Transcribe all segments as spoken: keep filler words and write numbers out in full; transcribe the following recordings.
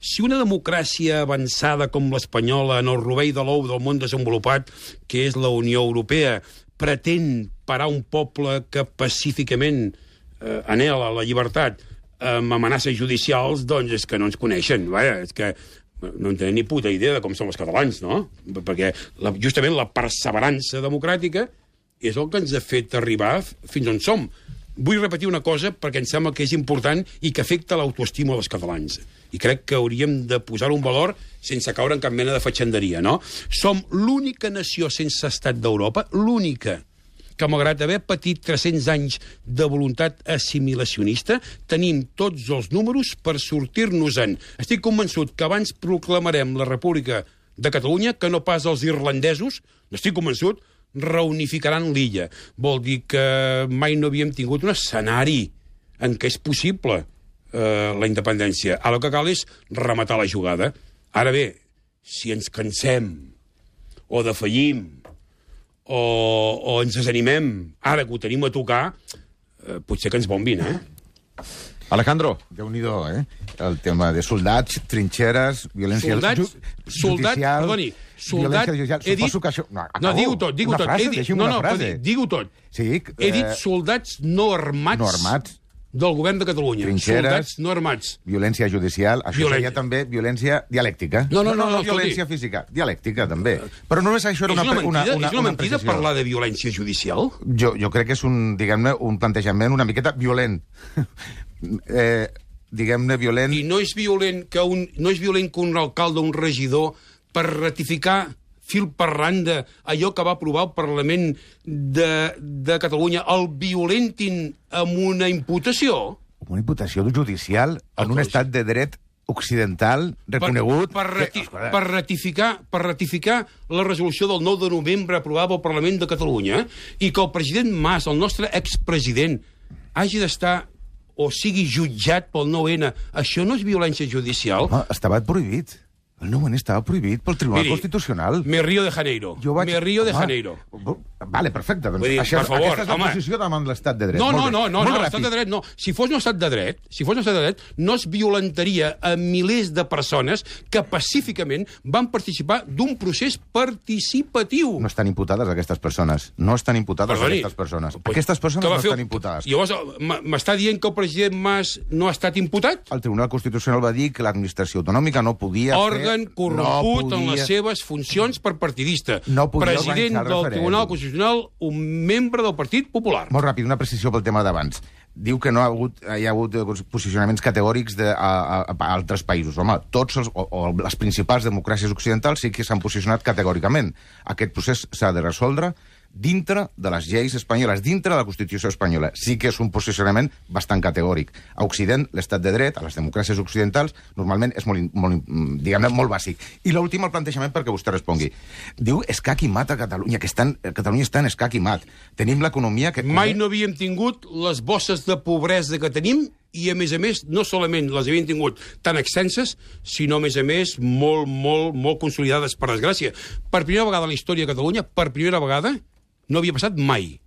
si una democràcia avançada com l'espanyola en el rovell de l'ou del món desenvolupat, que és la Unió Europea, pretén parar un poble que pacíficament eh, anhela la llibertat amb amenaces judicials, doncs és que no ens coneixen. Vaja, és que no en tenen ni puta idea de com són els catalans, no? Perquè la, justament la perseverança democràtica és el que ens ha fet arribar fins on som. Vull repetir una cosa perquè em sembla que és important i que afecta l'autoestima dels catalans. I crec que hauríem de posar un valor sense caure en cap mena de fatxanderia, no? Som l'única nació sense estat d'Europa, l'única, que malgrat haver patit tres-cents anys de voluntat assimilacionista, tenim tots els números per sortir-nos-en. Estic convençut que abans proclamarem la República de Catalunya que no pas els irlandesos, n'estic convençut, reunificaran l'illa. Vol dir que mai no havíem tingut un escenari en què és possible eh, la independència. Ara el que cal és rematar la jugada. Ara bé, si ens cansem o defallim o, o ens desanimem, ara que ho tenim a tocar, eh, potser que ens bombin, eh? Alejandro. Déu-n'hi-do, eh? El tema de soldats, trinxeres, violència soldats, ju soldat, judicial... Perdoni, soldat... He dit... Que això... No, no, digue-ho tot, digue-ho tot. Frase, He dit... no, no, no, digue-ho tot. Sí, eh... He dit soldats no armats, no armats del govern de Catalunya. Trinxeres, soldats no armats. Violència judicial, això Violència. seria també violència dialèctica. No, no, no, no, no, no violència física, dialèctica, també. Però només això era És una, una mentida, una, una, és una una mentida precisió. parlar de violència judicial? Jo, jo crec que és un, diguem-ne, un plantejament una miqueta violent. eh, diguem-ne, violent... I no és violent que un, no és violent que un alcalde o un regidor, per ratificar fil per randa allò que va aprovar el Parlament de, de Catalunya, el violentin amb una imputació? Una imputació judicial en un estat de dret occidental reconegut... Per, per, rati que, per, ratificar, per ratificar la resolució del nou de novembre aprovada pel Parlament de Catalunya i que el president Mas, el nostre expresident, hagi d'estar o sigui jutjat pel nou ene, això no és violència judicial? Home, estava prohibit. El nou ene estava prohibit pel Tribunal Miri, Constitucional. Me Río de Janeiro. Vaig... Me Río de home, Janeiro. Vale, perfecte. Doncs dir, això, per favor, aquesta és la home. posició davant l'estat de dret. No, no, Molt no, bé. no, Molt no ràpid. l'estat de dret no. Si fos un estat de dret, si fos un estat de dret, no es violentaria a milers de persones que pacíficament van participar d'un procés participatiu. No estan imputades aquestes persones. No estan imputades Perdoni, aquestes persones. pues, Aquestes persones que va no fer- estan imputades. Llavors, m'està dient que el president Mas no ha estat imputat? El Tribunal Constitucional va dir que l'administració autonòmica no podia Òrgan fer... corromput no en podia... les seves funcions per partidista. No podia President organitzar el del referèndum. Tribunal Constitucional, un membre del Partit Popular. Molt ràpid, una precisió pel tema d'abans. Diu que no ha hagut, hi ha hagut posicionaments categòrics de, a, a, a altres països. Home, tots els, o, o les principals democràcies occidentals sí que s'han posicionat categòricament. Aquest procés s'ha de resoldre dintre de les lleis espanyoles, dintre de la Constitució espanyola. Sí que és un posicionament bastant categòric. A Occident, l'estat de dret, a les democràcies occidentals, normalment és molt, molt diguem-ne, molt bàsic. I l'últim, el plantejament perquè vostè respongui. Diu escac i mat a Catalunya, que estan, Catalunya està en escac i mat. Tenim l'economia que... Mai no havíem tingut les bosses de pobresa que tenim i, a més a més, no solament les havíem tingut tan extenses, sinó, a més a més, molt, molt, molt consolidades, per desgràcia. Per primera vegada a la història de Catalunya, per primera vegada, no havia passat mai.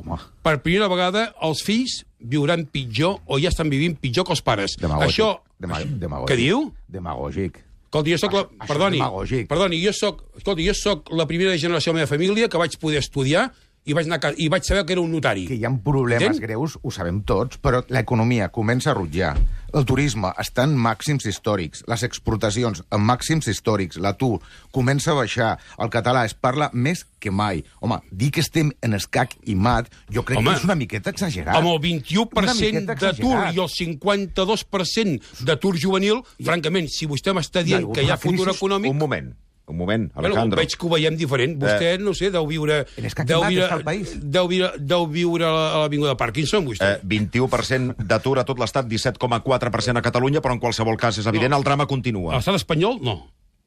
Home. Per primera vegada, els fills viuran pitjor o ja estan vivint pitjor que els pares. Demagògic. Això... Dema demagògic. Què diu? Demagògic. Escolti, jo soc la... Això- això és Perdoni, demagògic. perdoni, jo soc... Escolti, jo soc la primera generació de la meva família que vaig poder estudiar i vaig, anar a ca... i vaig saber que era un notari. Que hi ha problemes Entén? greus, ho sabem tots, però l'economia comença a rutllar. El turisme està en màxims històrics, les exportacions en màxims històrics, l'atur comença a baixar, el català es parla més que mai. Home, dir que estem en escac i mat, jo crec Home, que és una miqueta exagerat. Amb el vint-i-u per Una cent miqueta d'atur exagerat. i el cinquanta-dos per cent d'atur juvenil, francament, si vostè m'està dient hagut que hi ha una crisi- futur econòmic... Un moment, un moment, Bueno, Alejandro. veig que ho veiem diferent. Vostè, no sé, deu viure... En escac i Deu mat viure, està el país. deu viure, deu viure a l'Avinguda Parkinson, vostè. Eh, vint-i-u per cent d'atur a tot l'estat, disset coma quatre per cent a Catalunya, però en qualsevol cas és evident, No. el drama A continua. l'estat espanyol, no.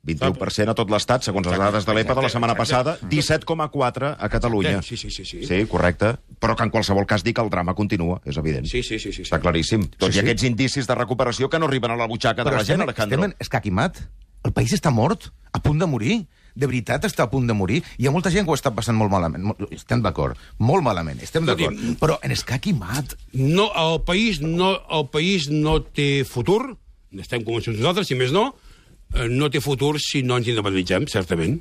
vint-i-u per cent a tot l'estat, segons les Exacte, dades de l'E P A de la exacte, setmana exacte. passada, disset coma quatre a Catalunya. Sí, sí, sí, sí. Sí, correcte. Però que en qualsevol cas dic que el drama continua, és evident. Sí, sí, sí, sí, sí. Està claríssim. Tots Sí, i sí. aquests indicis de recuperació que no arriben a la butxaca de Però la gent, estem, Alejandro. estem en escac i mat. El país està mort, a punt de morir. De veritat està a punt de morir. Hi ha molta gent que ho està passant molt malament. Molt- Estem d'acord. Molt malament, estem d'acord. Escolti'm, Però en escac i mat... No, el país no, el país no té futur, estem convençuts nosaltres, si més no, no té futur si no ens independitzem, certament.